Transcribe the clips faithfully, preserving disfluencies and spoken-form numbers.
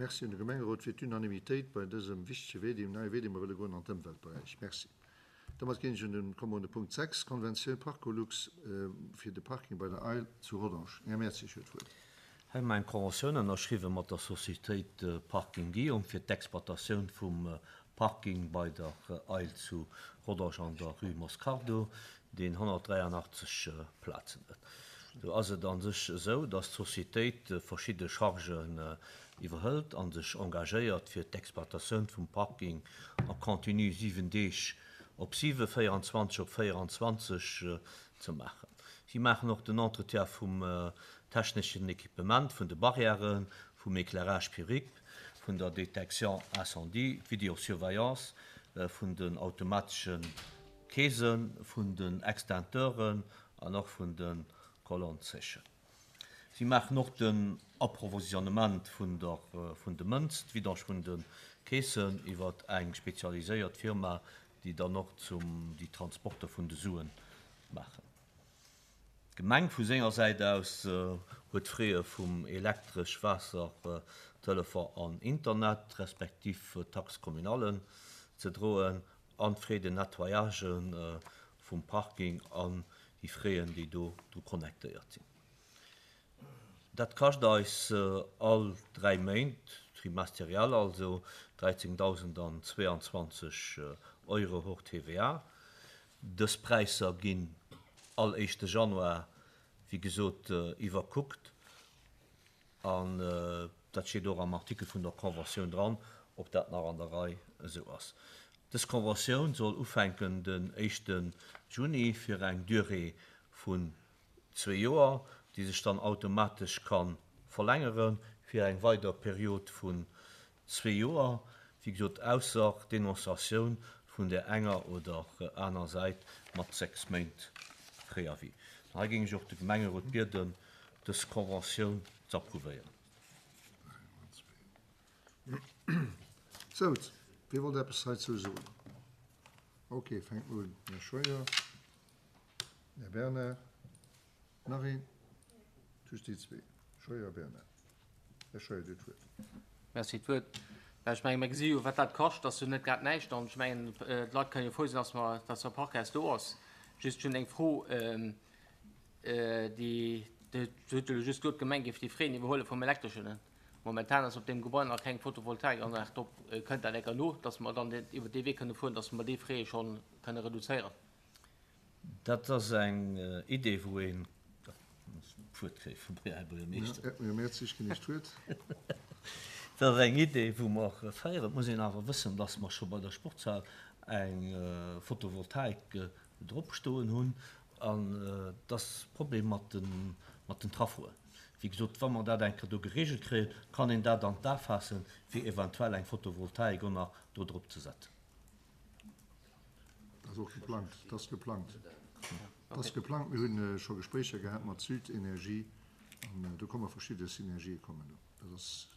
Merci un de Gemengerot fir d'Unanimitéit bei dësem wichtege Wee, deem neie Wee, dee mer wëlle goen an d'Ëmweltberäich. Merci. Domat ginn ech un den, komme mer un de Punkt sechs, Konventioun Parcolux fir de Parking bei der Eil zu Rodange. Här Mertzig huet d'Wuert. Hei hu mer eng Konventioun ënnerschriwwen mat der Societéit Parking Guillaume fir d'Exploitatioun vum Parking bei der Eil zu Rodange an der Rue Moscardo, deen honnertdräianachtzeg Plazen huet. Do ass et a sech esou, dass d'Societéit verschidde Chargen iwwerhëlt a sech engagéiert, fir d'Exploitatioun vum Parking en continu siwen Deeg op siwe, véierundzwanzeg op véierundzwanzeg ze maachen. Si maachen och den Entretien vum techneschen Equipement, vun de Barrièren, vum Éclairage public, vun der Détection incendie, d'Vidéosurveillance, vun den automatesche Keesen, vun den Extincteuren an och vun de Colonne-séchen. Si maachen och den Approvisionnement vun der, vun de Mënz, d'Vidange vun de Keesen iwwer eng spezialiséiert Firma, déi dann och zum, déi Transporter vun de Suen maachen. D'Gemeng vu senger Säit aus huet d'Fraie vum Elektresch, Waasser, Telefon an Internet, respektiv Taxe communale ze droen an d'Frais de nettoyage vum Parking an déi Fraien, déi do dru connectéiert sinn. Dat kascht eis all dräi Méint, trimestriell also, dräizéngtdausendazweiundzwanzeg Euro hors T V A. Dës Präisser ginn all éischte Januar, wéi gesot, iwwerkuckt an dat steet och am Artikel vun der Conventioun dran, ob dat nach an der Rei esou ass. Dës Conventioun soll ufänken den éischte Juni fir eng Durée vun zwee Joer, déi sech dann automatesch ka verlängere fir eng weider Period vun zwee Joer, wéi gesot, ausser Denonciatioun vun der enger oder aner Säit mat sechs Méint Préavis. Hei géing ech och de Gemengerot bieden, dës Conventioun ze approuvéieren. Sou, wie wollt eppes heizou soen? Ok, fänkt mol un. Här Scheuer, Här Bernard, nach een? Just déi zwee, Scheuer, Bernard. Här Scheuer, Dir hutt d'Wuert. Merci d'Wuert. Ech mengen, mir gesi jo, wat dat kascht, ass jo net grad näischt. An ech mengen, d'Leit kënnen jo frou sinn, dass mer, dass e Parkhaus do ass. Just hunn eng Fro, déi, Dir hutt jo just gesot, d'Gemeng géif déi Frais iwwerhuele vum Elektreschen. Momentan ass op deem Gebai nach keng Photovoltaikanlag drop. Kënnt dat enker no, dass mer dann iwwer dee Wee kënne fueren, dass mer déi Frais scho kënne reduzéieren? Dat ass eng Idee, wou een d'Wuert kréie vum Här Buergermeeschter. Här Mertzig, ginn ech d'Wuert. Dat ass eng Idee, wou mer féieren. Et muss een awer wëssen, dass mer scho bei der Sportshal eng Photovoltaik drop stoen hunn. An et ass Problem mat den, mat den Trafoen. Wéi gesot, wa mer dat eng Kéier do geregelt kréien, kann een dat an d'A faassen, fir eventuell eng Photovoltaik och nach do drop ze setzen. Dat ass och geplangt. Dat ass geplangt. Dat ass geplangt. Mir hu scho Gespréicher gehat mat Südenergie an do komme verschidde Synergië kommen do. Dat ass.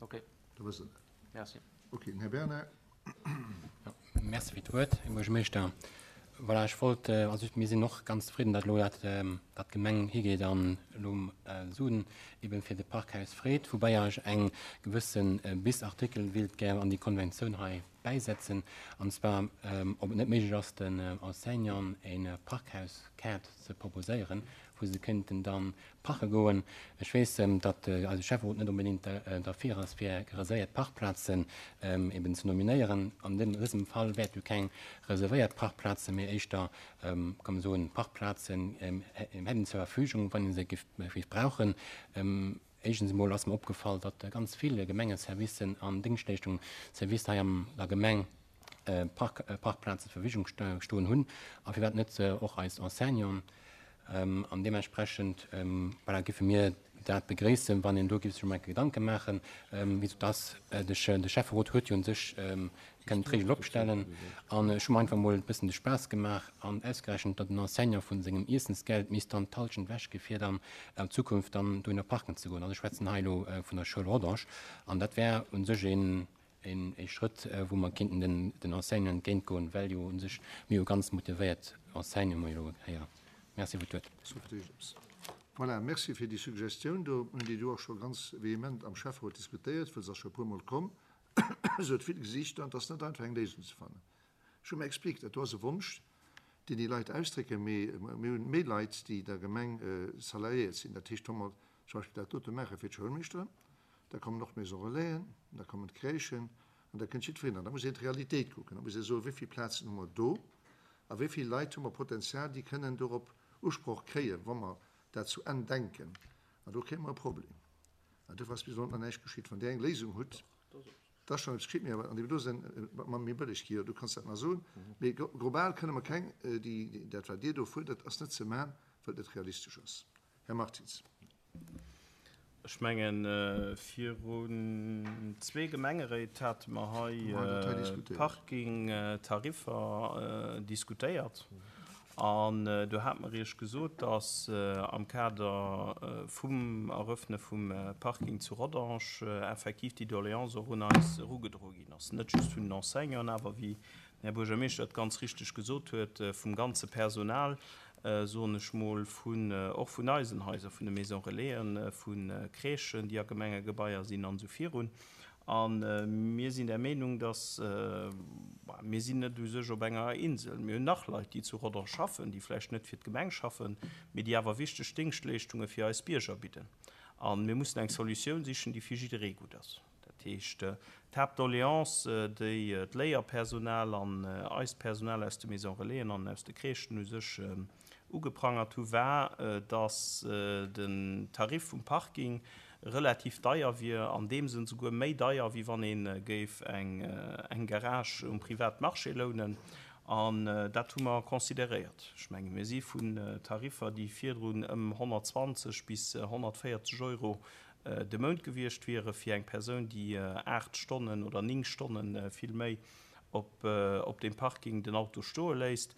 Okay. Da wësst Der dat. Merci. Okay, den Här Bernard. Merci fir d'Wuert, Här Buergermeeschter. Voilà, ech wollt, also mir sinn och ganz zefridden, datt elo dat, datt d'Gemeng higeet an elo Suen eben fir de Parkhaus freet, woubäi ech eng gewësse Bis-Artikel wéilt gär an déi Konventioun hei bäisetzen, an zwar ob et net méiglech ass, den Enseignanten e Parkhauskaart ze proposéieren, wou se kéinten da parke goen. Ech weess, datt eise Schäfferot net onbedéngt derfir ass, fir reservéiert Parkplazen eben ze nominéieren. An dësem Fall wäert jo keng reservéiert Parkplazen, mee éischter, kann man soen, Parkplazen hätten zur Verfügung, wann ee se géif brauchen. Éischtens emol ass mer opgefall, datt ganz vill Gemengeservicen an Déngschtleeschtungsservicer hei an der Gemeng Parkplazen zur Verfügung stoen hunn, a firwat net och eis Enseignanten. An deementsprechend, voilà, géife mir dat begréissen, wann een do géif sech emol eng Kéier Gedanke maachen, wéi dass de Schäfferot huet jo un sech kënnen d'Regel opstellen. An ech hu mer einfach emol e bëssen de Spaass gemaach an ausgerechent, datt en Enseignant vu sengem Iessensgeld misst dann d'Halschent ewechgi fir dann an Zukunft dann dohinner parken ze goen. Also ech schwätzen hei elo vun der Schoul Rodange. An dat wär u sech een ee Schrëtt, wou mer kéinten den den Enseignanten entgéintgoen, well jo u sech mir hu ganz motivéiert Enseignanten elo héieren. Merci fir d'Wuert. Voilà, merci fir déi Suggestioun do. Mir hunn déi do och scho ganz vehement am Schäfferot diskutéiert, well se ass scho e puermol komm. Se huet vill Gesiichter an et ass net einfach eng Léisung ze fannen. Ech hu mer expliqued, dat do ass e Wonsch, deen déi Leit ausdrécken, mee mir hunn méi Leit, déi der Gemeng salariéiert sinn. Dat heescht, wa mer zum Beispill dat dote maache fir d'Schoulmeeschteren, da kommen och d'Maison Relaisen, da kommen d'Crèchen an da kënnt jiddwereen. An da muss een d'Realitéit kucken, da muss ee soen, wéi vill Plazen hu mer do a wéi vill Leit hu mer Potenzial, déi kënnen dorop Usproch kréien, wa mer dat zu Enn denken. An do kréie mer e Problem. An dofir ass bis elo nach näischt geschitt. Wann Dir eng Léisung hutt, da ass schonn eppes geschitt, mee awer an deem do Sënn, mat méi bëlleg gi, jo, du kanns dat nach soen, mee global kënne mer keng, déi, dat wat Dir do fuerdert, ass net ze maachen, well et net realistesch ass. Här Martins. Ech mengen, virun zwee Gemengeréit hate mer hei d'Parkingtariffer diskutéiert. An do hate mer Iech gesot, dass am Kader vum Eröffne vum Parking zu Rodange effektiv déi Doléance och un eis erugedroe ginn ass. Net just vun den Enseignanten, awer wéi den Här Buergermeeschter et ganz richteg gesot huet, vum ganze Personal, soen ech mol, vun, och vun eisen Haiser, vun de Maisons Relaisen, vu Crèchen, déi a Gemengegebaier sinn an esou virun. A mir sinn der Meenung, dass, mir sinn net u sech op enger Insel, mir hunn nach Leit, déi zu Rodange schaffen, déi vläicht net fir d'Gemeng schaffen, mee déi awer wichteg Déngschtleeschtunge fir eis Bierger bidden. A mir mussen eng Solutioun sichen, déi fir jidderee gutt ass. Dat heescht, d'Haaptdoleance, déi d'Léierpersonal an eist Personal aus de Maisons Relaisen an aus de Crèchen u sech ugeprangert hu, war, dass den Tarif vum Parking relativ deier wier, an deem Sënn souguer méi deier, wéi wann ee géif eng Garage um Privatmarché lounen. An dat hu mer consideréiert. Ech menge mir si vun Tariffer, déi virdrun ëm honnertzwanzeg bis honnertvéierzeg Euro de Mount gewiescht wiere fir eng Persoun, déi aacht Stonnen oder néng Stonne vill méi op deem Parking den Auto stoe léisst,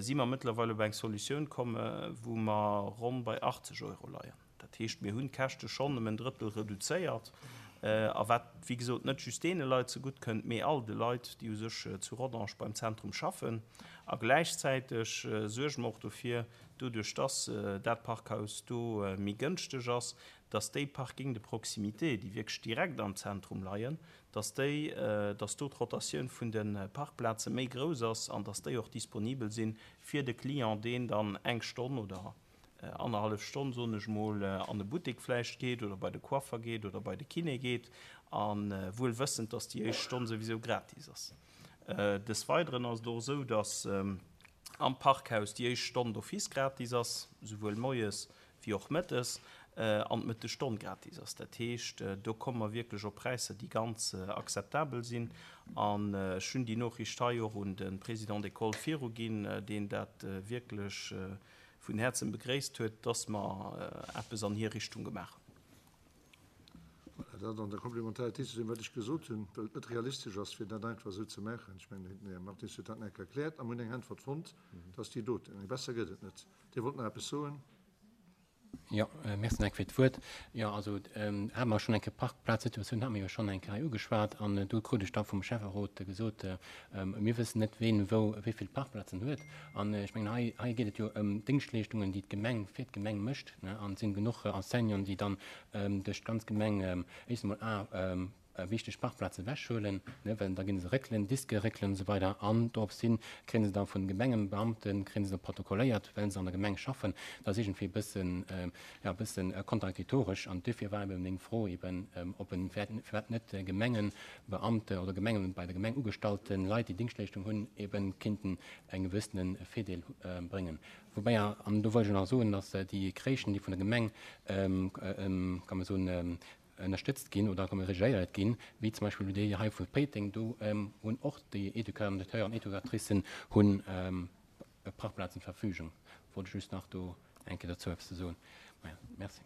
si mer mëttlerweil op eng Solutioun komm, wou mer ronn bei achtzeg Euro leien. Dat heescht, mir hunn d'Käschte schonn ëm en Drëttel reduzéiert, a wat, wéi gesot, net just deene Leit zegutt kënnt, mee all de Leit, déi u sech zu Rodange beim Zentrum schaffen. A gläichzäiteg suerge mer och dofir, doduerch dass dat Parkhaus do méi gënschteg ass, dass déi Parking de proximité, déi wierklech direkt am Zentrum leien, dass déi, dass do d'Rotatioun vun de Parkplaze méi grouss ass an dass déi och disponibel sinn fir de Client, deen dann eng Stonn oder annerhallef Stonn, soen ech mol, an de Buttek vläicht geet oder bei de Coiffer geet oder bei de Kiné geet, a wuel wëssend, dass déi éischt Stonn souwisou gratis ass. Des Weideren ass et och esou, dass am Parkhaus déi éischt Stonn d'office gratis ass, souwuel moies wéi och mëttes, an d'Mëttesstonn gratis ass. Dat heescht, do komme mer wierklech op Präisser, déi ganz akzeptabel sinn. An ech hunn déi Noriicht hei och un de Président d'école viruginn, deen dat wierklech vun Häerzen begréisst huet, dass mer eppes an hir Richtung gemaach hunn. Voilà, dat an der Komplementaritéit zu deem, wat ech gesot hunn, well et net realistesch ass, fir dat einfach esou ze maachen. Ech mengen, den Här Martins huet dat nach erkläert a mir hunn eng Äntwert fonnt, dass déi doten. Eng besser gëtt et net. Dir wollt nach eppes soen? Jo, merci nach eng Kéier fir d'Wuert. Jo, also hate mer schonn eng Kéier d'Parkplazsituatioun hate mer jo schonn eng Kéier hei ugeschwat an do krut ech da vum Schäfferot gesot, mir wëssen net, ween wou wéi vill Parkplazen huet. An ech mengen, hei, hei geet et jo ëm Déngschtleeschtungen, déi d'Gemeng fir d'Gemeng mécht, ne, an et sinn genuch Enseignanten, déi dann duerch d'ganz Gemeng éischt emol a wichteg Parkplaze wechhuelen, ne, well da ginn se réckelen, Diske réckelen und so weiter. An dorops hin kréien se da vun Gemengenbeamten, kréien se da protokolléiert, well se an der Gemeng schaffen. Dat ass iergendwéi e bëssen, ja, e bëssen kontradiktoresch. An duerfir war eben meng Fro eben, ob en firwat net Gemengenbeamte oder Gemengen, bei der Gemeng ugestallte Leit, déi Dingschtleeschtung hunn, eben kinnten eng gewëssene Virdeel bréngen. Wobäi, an do wollt ech nach soen, dass déi Crèchen, déi vun der Gemeng, kann man soen, ënnerstëtzt ginn oder kann man regéiert ginn, wéi zum Beispill déi hei vu Péiteng, do hunn och déi Educateurs an Educatricen hunn Parkplazen zur Verfügung. Wollt ech just nach do eng Kéier dozou eppes ze soen. Maja, merci.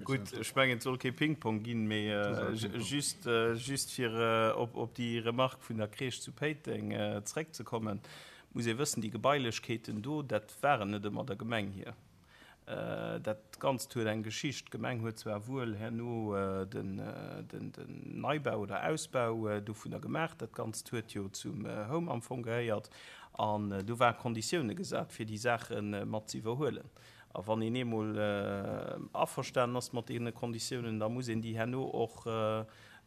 Gutt, ech mengen, et soll kee Ping-Pong ginn, mee just, just fir op, op déi Remarque vun der Crèche zu Péiteng zréckzekommen, muss ee wëssen, déi Gebailechkeeten do, dat waren net ëmmer der Gemeng hir. Dat Ganzt huet eng Geschicht. D'Gemeng huet zwar wuel herno den, den, den Neibau oder Ausbau dovunner gemaach. Dat Ganzt huet jo zum Home am Fong gehéiert. An do ware Konditioune gesat, fir déi Saache mat ze iwwerhuelen. A wann een eemol averstanen ass mat deene Konditiounen, da muss een déi herno och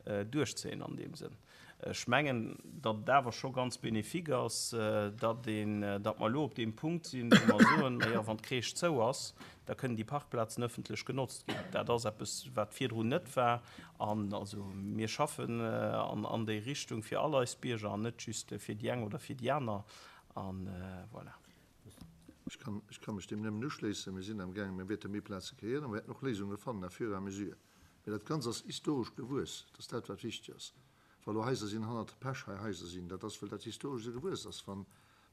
duerchzéien an deem Sënn. Ech mengen, datt et awer scho ganz bénéfique ass, datt een, datt mer elo op deem Punkt sinn, wou mer soen, Majo, wann d'Crèche zou ass, da kënnen déi Parkplazen ëffentlech genotzt ginn. Dat ass eppes, wat virdrun net war. An also mir schaffen an déi Richtung fir all eis Bierger an net just fir déi eng oder fir déi aner. An voilà. Ech kann, ech ka mech deem nëmmen uschléissen. Mir sinn amgaangen, mir wäerte méi Plaze kreéieren a mir wäerten och Léisunge fannen à fur et à mesure. Mee dat Ganzt ass historesch gewuess. Dat ass dat, wat wichteg ass. Wa lo Haiser sinn hannert Pech, hei Haiser sinn, dat ass, well dat historesch esou gewuess ass. Wa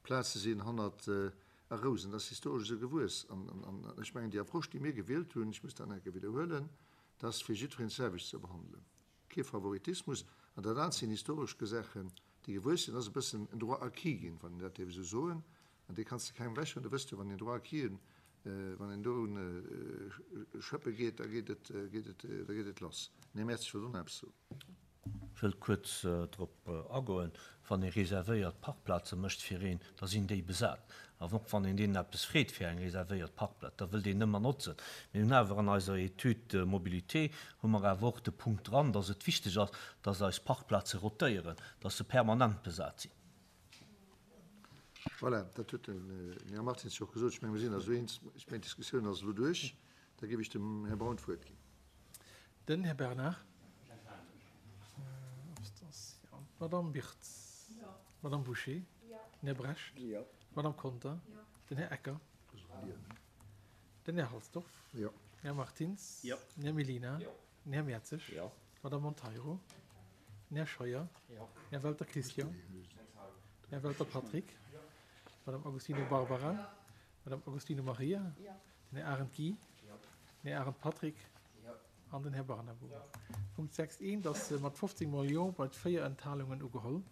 Plaze sinn hannert A Rousen, dat ass historesch esou gewuess. An, an ech mengen, déi Approche, déi mir gewielt hunn, ech muss dat nach eng Kéier widderhuelen, dat ass, fir jiddwereen d'selwecht ze behandelen. Kee Favoritismus. An dat anert sinn historesch Saachen, déi gewuess sinn. Dat ass e bëssen en Droit acquis ginn, wann een dat dierf esou soen. An dee kanns de kengem ewechhuelen. Du wësst jo, wann een Droit acquis, wann een do schëppe geet, da geet et, geet et, da geet et lass. Nee, Merci, ech wollt och nach eppes soen. Ech wëll kuerz drop agoen. Wann ee reservéiert Parkplaze mécht fir een, da sinn déi besat. An och wann een deenen eppes freet fir eng reservéiert Parkplaz, da wëllt een nëmmer notzen. Mir hunn awer an eiser Étude mobilité hu mer awer och de Punkt dran, dass et wichteg ass, dass eis Parkplaze rotéieren, dass se permanent besat sinn. Voilà, dat huet den Här Martins jo och gesot. Ech mengen, mir sinn eis elo eens. Ech mengen, d'Diskussioun ass elo duerch. Da géif ech dem Här Braun d'Wuert ginn. Den Här Bernard. D'Madame Birtz. D'Madame Bouché. Den Här Brecht. D'Madame Conter. Den Här Ecker. Den Här Halsdorf. Den Här Martins. Den Här Mellina. Den Här Mertzig. D'Madame Monteiro. Den Här Scheuer. Den Här Welter Christian. Den Här Welter Patrick. D'Madame Agostino Barbara. D'Madame Agostino Maria. Den Här Arendt Guy. Den Här Arendt Patrick. An den Här Barnabo. Punkt sechs eent ass mat fofzéng mol Jo bei véier Enthalungen ugeholl.